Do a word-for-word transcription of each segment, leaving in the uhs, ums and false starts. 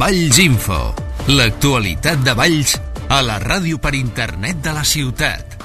Valls Info, l'actualitat de Valls a la ràdio per internet de la ciutat.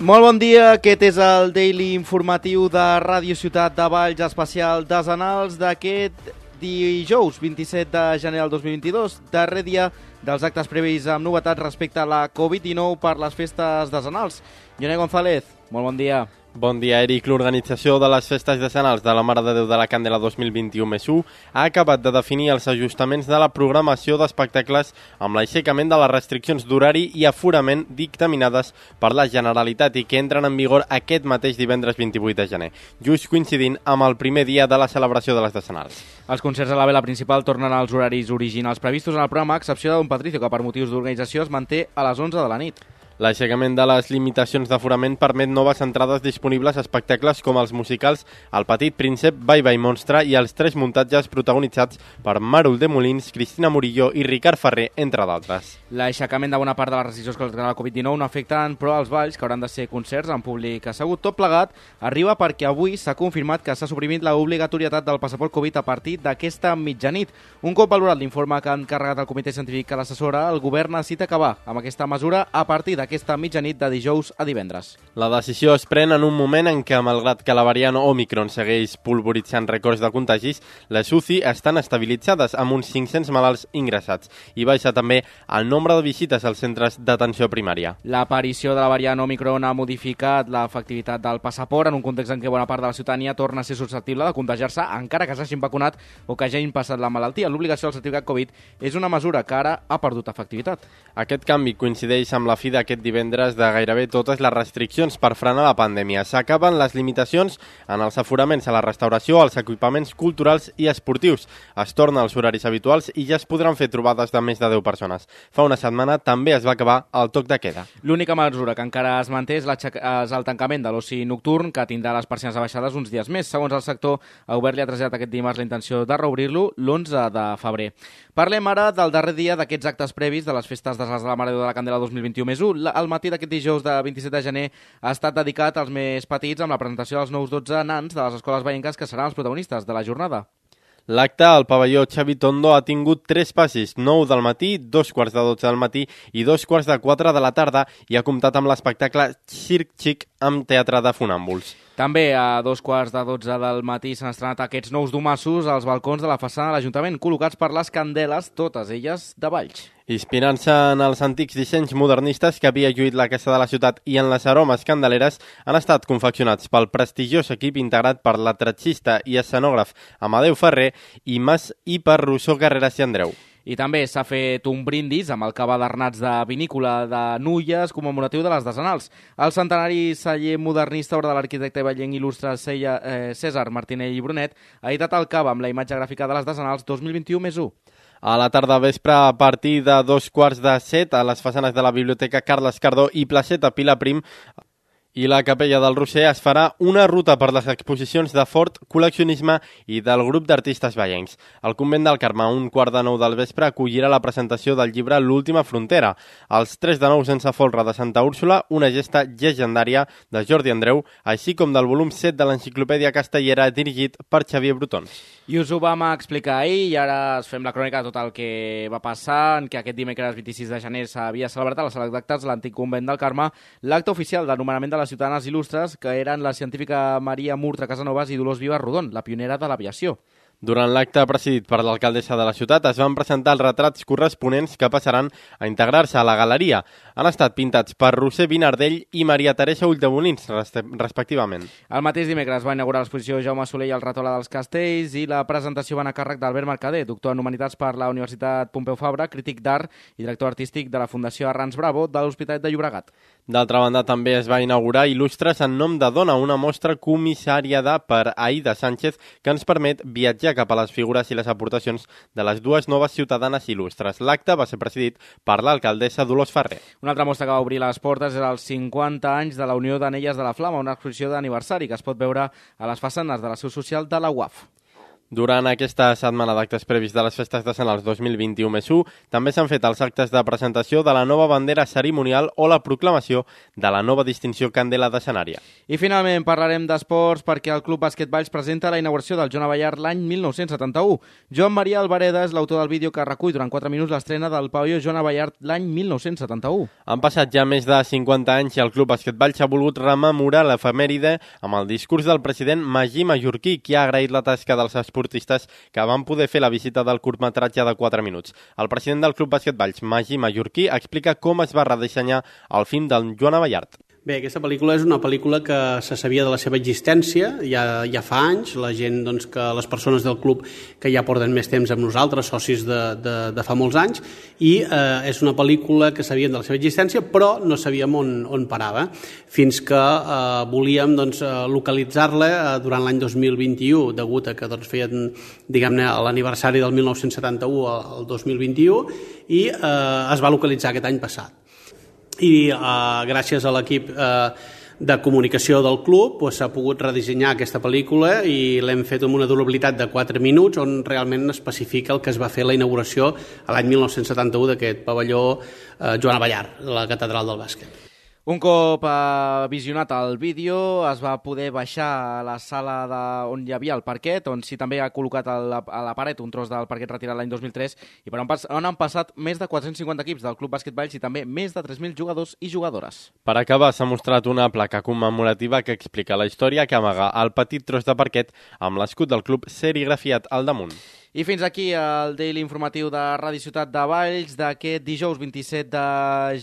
Molt bon dia, aquest és el Daily Informatiu de Ràdio Ciutat de Valls, especial desenals d'aquest dijous vint-i-set de gener del dos mil vint-i-dos, darrer dia dels actes previs amb novetats respecte a la covid dinou per les festes desenals. Joné González, molt bon dia. Bon dia, Eric. L'organització de les festes decenals de la Mare de Déu de la Candela dos mil vint-i-u més u ha acabat de definir els ajustaments de la programació d'espectacles amb l'aixecament de les restriccions d'horari i aforament dictaminades per la Generalitat i que entren en vigor aquest mateix divendres vint-i-vuit de gener, just coincidint amb el primer dia de la celebració de les decenals. Els concerts a la vela principal tornen als horaris originals previstos en el programa, a excepció de Don Patricio, que per motius d'organització es manté a les onze de la nit. L'aixecament de les limitacions d'aforament permet noves entrades disponibles a espectacles com els musicals El Petit Príncep, Bye Bye Monstre i els tres muntatges protagonitzats per Màrul de Molins, Cristina Murillo i Ricard Ferrer, entre d'altres. L'aixecament de bona part de les restriccions que la covid dinou no afecten però els balls, que hauran de ser concerts en públic assegut. Tot plegat arriba perquè avui s'ha confirmat que s'ha suprimit l'obligatorietat del passaport Covid a partir d'aquesta mitjanit. Un cop valorat l'informe que han encarregat el comitè científic que l'assessora, el govern necessita acabar amb aquesta mesura a partir d'aquesta aquesta mitjanit de dijous a divendres. La decisió es pren en un moment en què, malgrat que la variant Omicron segueix polvoritzant rècords de contagis, les U C I estan estabilitzades amb uns cinc-cents malalts ingressats i baixa també el nombre de visites als centres d'atenció primària. L'aparició de la variant Omicron ha modificat l'efectivitat del passaport en un context en què bona part de la ciutadania torna a ser susceptible de contagiar-se encara que s'hagin vacunat o que hagin passat la malaltia. L'obligació del certificat Covid és una mesura que ara ha perdut efectivitat. Aquest canvi coincideix amb la fi d'aquest divendres de gairebé totes les restriccions per frenar la pandèmia. S'acaben les limitacions en els aforaments a la restauració, als equipaments culturals i esportius. Es torna als horaris habituals i ja es podran fer trobades de més de deu persones. Fa una setmana també es va acabar el toc de queda. L'única mesura que encara es manté és, és el tancament de l'oci nocturn, que tindrà les persianes abaixades uns dies més. Segons el sector, el govern li ha traslladat aquest dimarts la intenció de reobrir-lo l'onze de febrer. Parlem ara del darrer dia d'aquests actes previs de les festes de la Mare de Déu de la Candela dos mil vint-i-u més u. El matí d'aquest dijous de vint-i-set de gener ha estat dedicat als més petits amb la presentació dels nous dotze nans de les escoles veïnques que seran els protagonistes de la jornada. L'acte al pavelló Xavi Tondo ha tingut tres passis, nou del matí, dos quarts de dotze del matí i dos quarts de quatre de la tarda i ha comptat amb l'espectacle Circ Xic amb teatre de fonàmbuls. També a dos quarts de dotze del matí s'han estrenat aquests nous domassos als balcons de la façana de l'Ajuntament, col·locats per les candeles, totes elles de Valls. Inspirant-se en els antics dissenys modernistes que havia lluït la Casa de la Ciutat i en les aromes candeleres, han estat confeccionats pel prestigiós equip integrat per l'atracista i escenògraf Amadeu Ferrer i Mas i per Rousseau Carreras i Andreu. I també s'ha fet un brindis amb el cabadernats de vinícola de Nulles commemoratiu de les decenals. El centenari celler modernista, obra de l'arquitecte vallenc il·lustre César Martinell i Brunet, ha editat el cava amb la imatge gràfica de les decenals dos mil vint-i-u més u. A la tarda vespre, a partir de dos quarts de set, a les façanes de la Biblioteca Carles Cardó i Placeta Pilar Prim i la Capella del Roser es farà una ruta per les exposicions de Fort Col·leccionisme i del grup d'artistes vallencs. El convent del Carme, a un quart de nou del vespre, acollirà la presentació del llibre L'última frontera. Els tres de nou sense folre de Santa Úrsula, una gesta llegendària de Jordi Andreu, així com del volum set de l'Enciclopèdia Castellera dirigit per Xavier Brutons. I us ho vam explicar ahir i ara es fem la crònica de tot el que va passar, en què aquest dimecres vint-i-sis de gener s'havia celebrat a la sala d'actes de l'antic convent del Carme l'acte oficial de nomenament de les ciutadanes il·lustres, que eren la científica Maria Murtra Casanovas i Dolors Vives Rodon, la pionera de l'aviació. Durant l'acte presidit per l'alcaldessa de la ciutat es van presentar els retrats corresponents que passaran a integrar-se a la galeria. Han estat pintats per Roser Vinardell i Maria Teresa Ulldemolins, respectivament. El mateix dimecres va inaugurar l'exposició Jaume Soler i el Retola dels Castells i la presentació va anar a càrrec d'Albert Mercader, doctor en Humanitats per la Universitat Pompeu Fabra, crític d'art i director artístic de la Fundació Arrans Bravo de l'Hospitalet de Llobregat. D'altra banda, també es va inaugurar Il·lustres en nom de dona, una mostra comissariada per Aida Sánchez que ens permet viatjar cap a les figures i les aportacions de les dues noves ciutadanes il·lustres. L'acte va ser presidit per l'alcaldessa Dolors Ferrer. Una altra mostra que va obrir les portes és els cinquanta anys de la Unió d'Anelles de la Flama, una exposició d'aniversari que es pot veure a les façanes de la seu social de la U A F. Durant aquesta setmana d'actes previs de les festes de Sant Alç dos mil vint-i-u més u, també s'han fet els actes de presentació de la nova bandera cerimonial o la proclamació de la nova distinció Candela de Sanària. I finalment parlarem d'esports perquè el Club Bàsquet Valls presenta la inauguració del Joan Abellar l'any mil nou-cents setanta-u. Joan Maria Albareda és l'autor del vídeo que recull durant quatre minuts l'estrena del pavelló Joan Abellar l'any mil nou-cents setanta-u. Han passat ja més de cinquanta anys i el Club Bàsquet Valls ha volgut rememorar l'efemèride amb el discurs del president Magí Mallorquí, qui ha agraït la tasca dels esportistes que van poder fer la visita del curtmetratge de quatre minuts. El president del Club Bàsquet Valls, Magí Mallorquí, explica com es va redissenyar el film del Joan Abellar. Bé, aquesta pel·lícula és una pel·lícula que se sabia de la seva existència ja, ja fa anys. La gent, doncs, que les persones del club que ja porten més temps amb nosaltres, socis de, de, de fa molts anys, i eh, és una pel·lícula que sabíem de la seva existència, però no sabíem on, on parava, fins que eh, volíem doncs, localitzar-la eh, durant l'any dos mil vint-i-u, degut a que doncs, feien, diguem-ne, l'aniversari del mil nou-cents setanta-u al dos mil vint-i-u, i eh, es va localitzar aquest any passat. I eh, gràcies a l'equip eh, de comunicació del club doncs, s'ha pogut redissenyar aquesta pel·lícula i l'hem fet amb una durabilitat de quatre minuts on realment especifica el que es va fer a la inauguració a l'any mil nou-cents setanta-u d'aquest pavelló eh, Joan Abellar, la catedral del bàsquet. Un cop eh, visionat el vídeo, es va poder baixar a la sala de, on hi havia el parquet, on sí també ha col·locat a la, a la paret un tros del parquet retirat l'any dos mil tres i per on, pas, on han passat més de quatre-cents cinquanta equips del Club Bàsquet Valls i també més de tres mil jugadors i jugadores. Per acabar, s'ha mostrat una placa commemorativa que explica la història que amaga el petit tros de parquet amb l'escut del club serigrafiat al damunt. I fins aquí el Daily Informatiu de Ràdio Ciutat de Valls d'aquest dijous vint-i-set de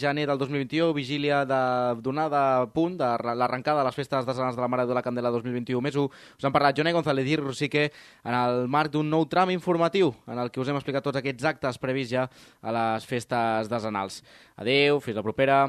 gener del dos mil vint-i-u, vigília de donada a punt de l'arrencada de les festes desenals de la Mare de la Candela dos mil vint-i-u més u. Us han parlat Jonai González i Rosique en el marc d'un nou tram informatiu en el que us hem explicat tots aquests actes previs ja a les festes desenals. Adéu, fins la propera.